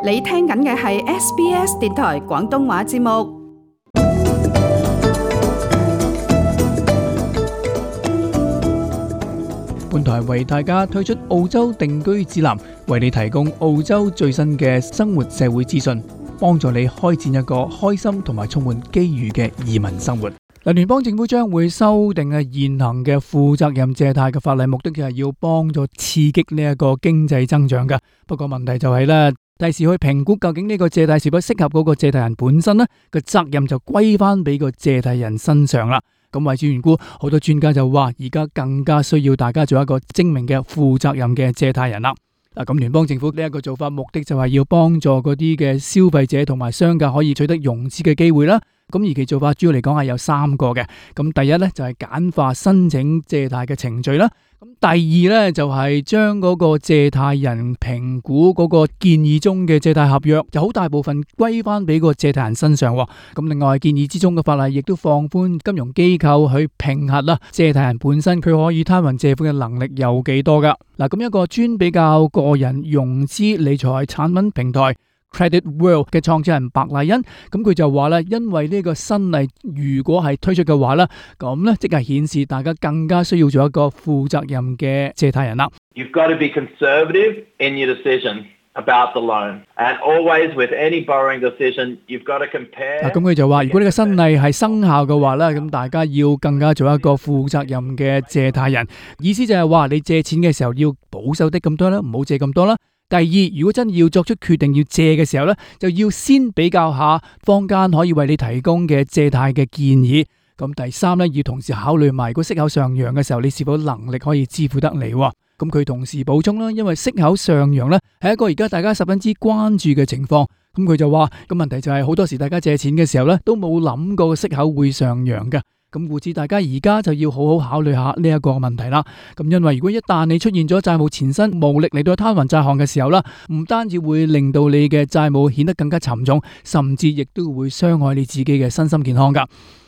你聽緊嘅係 SBS 電台廣東話節目。本台為大家推出澳洲定居指南，為你提供澳洲最新嘅生活社會資訊，幫助你開展一個開心同埋充滿機遇嘅移民生活。聯邦政府將會修訂現行嘅負責任借貸嘅法例，目的就係要幫助刺激呢一個經濟增長㗎。不過問題就係咧，第時去評估究竟呢個借貸是否適合嗰個借貸人本身呢，個責任就歸翻俾個借貸人身上啦。咁為此緣故，好多專家就話，而家更加需要大家做一個精明嘅負責任嘅借貸人啦。咁聯邦政府呢一個做法，目的就係要幫助嗰啲嘅消費者同埋商家可以取得融資嘅機會啦。咁而其做法主要嚟講係有3個嘅。咁第一咧就係簡化申請借貸嘅程序啦。咁第二咧就係將嗰個借貸人評估嗰個建議中嘅借貸合約，就好大部分歸翻俾個借貸人身上。咁另外建議之中嘅法例亦都放寬金融機構去評核啦，借貸人本身佢可以攤還借款嘅能力有幾多噶。咁一個專比較個人融資理財產品平台Credit World 嘅創始人白麗欣，咁佢就話咧，因為呢個新例如果係推出嘅話咧，咁咧即係顯示大家更加需要做一個負責任嘅借貸人啦。You've got to be conservative in your decision about the loan, and always with any borrowing decision, you've got to compare。咁佢就話，如果呢個新例係生效嘅話咧，咁大家要更加做一個負責任嘅借貸人。意思就係話，你借錢嘅時候要保守啲咁多啦，唔好借咁多啦。第二，如果真要作出決定要借嘅時候咧，就要先比較下坊間可以為你提供嘅借貸嘅建議。咁第三咧，要同時考慮埋如果息口上揚嘅時候，你是否能力可以支付得嚟。咁佢同時補充啦，因為息口上揚咧係一個而家大家十分之關注嘅情況。咁佢就話，咁問題就係好多時大家借錢嘅時候咧，都冇諗過息口會上揚嘅。咁故此大家而家就要好好考慮下呢一個問題啦。咁因為如果一旦你出現咗債務纏身，無力嚟到攤還債項嘅時候啦，唔單止會令到你嘅債務顯得更加沉重，甚至亦都會傷害你自己嘅身心健康噶。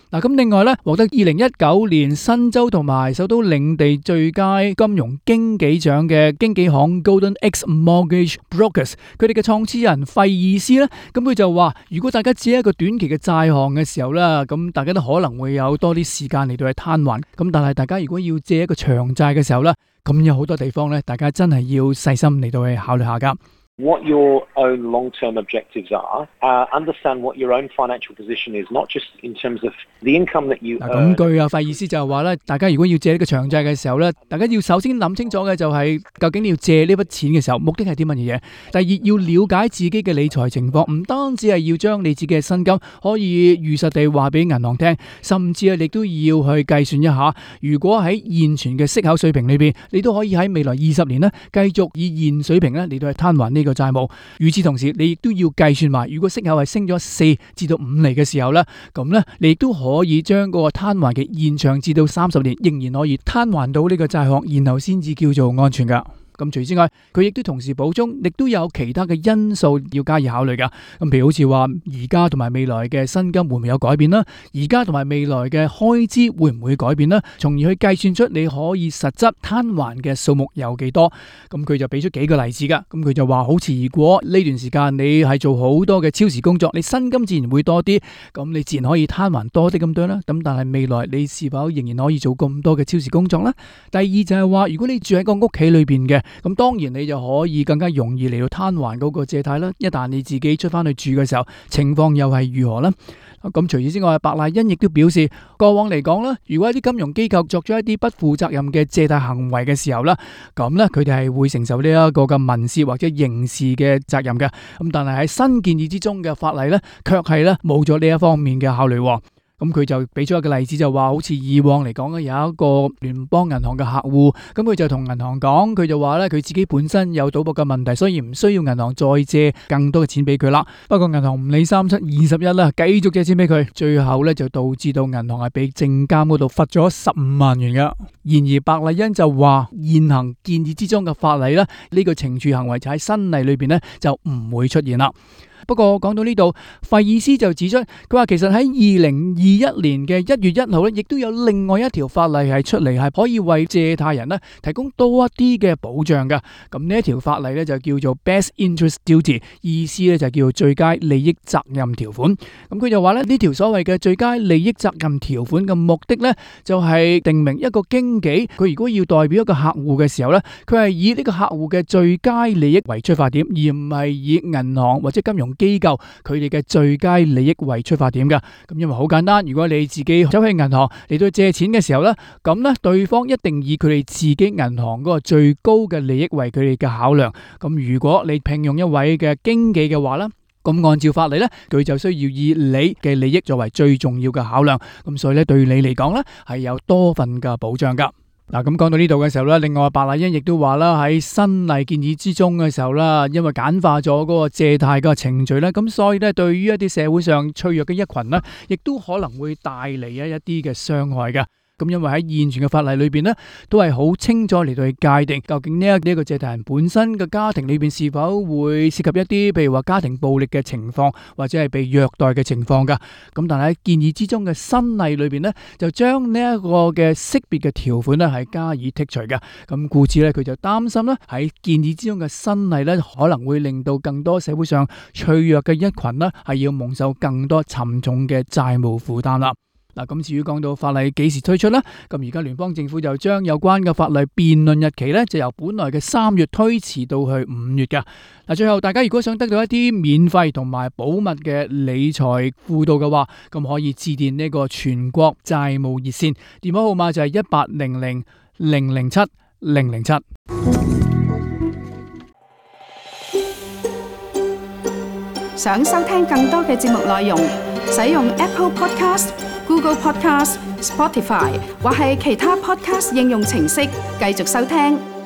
咁另外咧，獲得2019年新州同埋首都領地最佳金融經紀獎嘅經紀行 Golden X Mortgage Brokers， 佢哋嘅創始人費爾斯咧，咁佢就話，如果大家借一個短期嘅債項嘅時候咧，咁大家都可能會有多啲時間嚟到去攤還。咁但係大家如果要借一個長債嘅時候咧，咁有好多地方咧，大家真係要細心嚟到去考慮下噶。What your own long-term objectives are, understand what your own financial position is, not just in terms of the income that you earn。 咁據費意思就係話咧，大家如果要借呢個長債嘅時候咧，大家要首先諗清楚嘅就係究竟你要借呢筆錢嘅時候，目的係啲乜嘢？第二，要了解自己嘅理財情況，唔單止係要將你自己嘅薪金可以如實地話俾銀行聽，甚至係你都要去計算一下，如果喺現存嘅息口水平裏邊，你都可以喺未來20年咧繼續以現水平咧嚟到去攤還呢個債務。與此同時，你亦都要計算埋，如果息口係升咗4至到5厘嘅時候咧，咁咧你亦都可以將嗰個攤還期延長至到30年，仍然可以攤還到呢個債項，然後先至叫做安全噶。咁除此之外，佢亦都同時補充，亦都有其他嘅因素要加以考慮噶。咁譬如好似話，而家同埋未來嘅薪金會唔會有改變啦？而家同埋未來嘅開支會唔會改變啦？從而去計算出你可以實質攤還嘅數目有幾多。咁佢就俾出幾個例子噶。咁佢就話，好似如果呢段時間你係做好多嘅超時工作，你薪金自然會多啲，咁你自然可以攤還多啲咁多啦。咁但係未來你是否仍然可以做咁多嘅超時工作呢？第二就係話，如果你住喺個屋企裏邊嘅，咁當然你就可以更加容易嚟到攤還嗰個借貸啦。一旦你自己出翻去住嘅時候，情況又係如何呢？咁除此之外，白麗欣亦都表示，過往嚟講啦，如果一啲金融機構作咗一啲不負責任嘅借貸行為嘅時候啦，咁咧佢哋係會承受呢一個嘅民事或者刑事嘅責任嘅。咁但係喺新建議之中嘅法例咧，卻係咧冇咗呢一方面嘅考慮。咁佢就俾咗一個例子，就話好似以往嚟講咧，有一個聯邦銀行嘅客戶，咁佢就同銀行講，佢就話咧佢自己本身有賭博嘅問題，所以唔需要銀行再借更多嘅錢俾佢啦。不過銀行唔理3721啦，繼續借錢俾佢，最後咧就導致到銀行係俾證監嗰度罰咗15萬元噶。然而白麗欣就話，現行建議之中嘅法例咧，呢個懲處行為就喺新例裏邊咧就唔會出現啦。不過講到呢度，費爾斯就指出，佢話其實喺2021年嘅1月1號咧，亦都有另外一條法例係出嚟，係可以為借貸人咧提供多一啲嘅保障㗎。咁呢一條法例咧就叫做 Best Interest Duty， 意思咧就叫做最佳利益責任條款。咁佢就話咧呢條所謂嘅最佳利益責任條款嘅目的咧，就係定明一個經紀佢如果要代表一個客戶嘅時候咧，佢係以呢個客戶嘅最佳利益為出發點，而唔係以銀行或者金融機構佢哋嘅最佳利益為出發點㗎。咁因為好簡單，如果你自己走去銀行嚟到借錢嘅時候咧，咁咧對方一定以佢哋自己銀行嗰個最高嘅利益為佢哋嘅考量。咁如果你聘用一位嘅經紀嘅話咧，咁按照法例咧，佢就需要以你嘅利益作為最重要嘅考量。咁所以咧，對你嚟講咧係有多份嘅保障㗎。嗱，咁講到呢度嘅時候咧，另外白麗欣亦都話啦，喺新例建議之中嘅時候啦，因為簡化咗嗰個借貸嘅程序咧，咁所以咧，對於一啲社會上脆弱嘅一群咧，亦都可能會帶嚟一啲嘅傷害嘅。咁因為喺現存嘅法例裏邊咧，都係好清楚嚟到去界定究竟呢一個借貸人本身嘅家庭裏邊是否會涉及一啲譬如話家庭暴力嘅情況，或者係被虐待嘅情況噶。咁但係喺建議之中嘅新例裏邊咧，就將呢一個嘅識別嘅條款咧係加以剔除嘅。咁故此咧，佢就擔心咧喺建議之中嘅新例咧，可能會令到更多社會上脆弱嘅一群咧係要蒙受更多沉重嘅債務負擔啦。嗱，咁至於講到法例幾時推出呢？咁而家聯邦政府就將有關嘅法例辯論日期咧，就由本來嘅3月推遲到去5月㗎。嗱，最後大家如果想得到一啲免費同埋保密嘅理財輔導嘅話，咁可以致電呢個全國債務熱線，電話號碼就係1800-007-007。想收聽更多嘅節目內容，使用 Apple Podcast、Google Podcast、Spotify 或係其他 Podcast 應用程式繼續收聽。